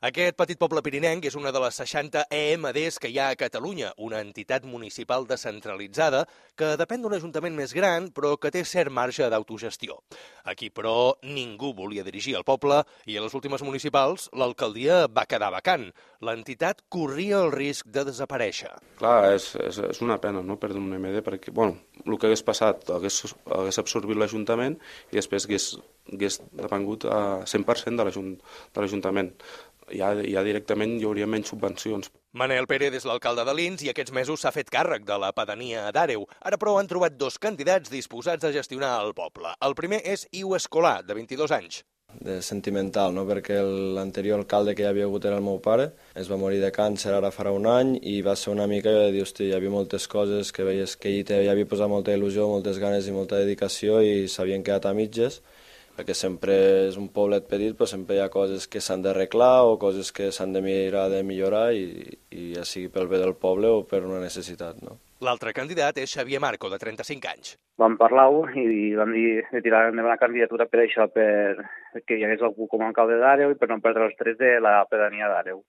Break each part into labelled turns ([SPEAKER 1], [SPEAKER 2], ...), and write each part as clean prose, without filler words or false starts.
[SPEAKER 1] Aquest petit poble pirinenc és una de les 60 EMDs que hi ha a Catalunya, una entitat municipal descentralitzada que depèn d'un ajuntament més gran, però que té cert marge d'autogestió. Aquí, però, ningú volia dirigir el poble i a les últimes municipals l'alcaldia va quedar vacant. L'entitat corria el risc de desaparèixer.
[SPEAKER 2] Clar, és una pena, no?, perdre un EMD, perquè, bueno, el que hagués passat hagués absorbit l'Ajuntament i després hagués depengut a 100% de l'Ajuntament. Ja directament hi hauria menys subvencions.
[SPEAKER 1] Manel Pérez és l'alcalde de Lins i aquests mesos s'ha fet càrrec de la pedania d'Àreu. Ara, però, han trobat dos candidats disposats a gestionar el poble. El primer és Iu Escolà, de 22 anys.
[SPEAKER 3] De sentimental, no? Perquè l'anterior alcalde que hi havia hagut era el meu pare, es va morir de càncer ara farà un any i va ser una mica de dir, hosti, hi havia moltes coses que veies que ell hi havia posat molta il·lusió, moltes ganes i molta dedicació i s'havien quedat a mitges, perquè sempre és un poblet petit, però sempre hi ha coses que s'han d'arreglar o coses que s'han de mirar de millorar i ja sigui pel bé del poble o per una necessitat, no?
[SPEAKER 1] L'altre candidat és Xavier Marco, de 35 anys.
[SPEAKER 4] Vam parlar-ho i vam dir de tirar endavant la candidatura per això, perquè hi hagués algú com a alcalde d'Àreu i per no perdre els drets de la pedania d'Àreu.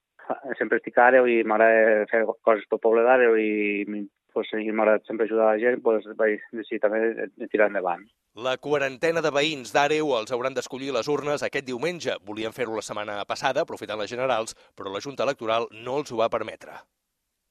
[SPEAKER 4] Sempre estic a Àreu i m'agrada fer coses pel poble d'Àreu i m'agrada sempre ajudar la gent, doncs vaig decidir també de tirar endavant.
[SPEAKER 1] La quarantena de veïns d'Àreu els hauran d'escollir les urnes aquest diumenge. Volien fer-ho la setmana passada, aprofitant les generals, però la Junta Electoral no els ho va permetre.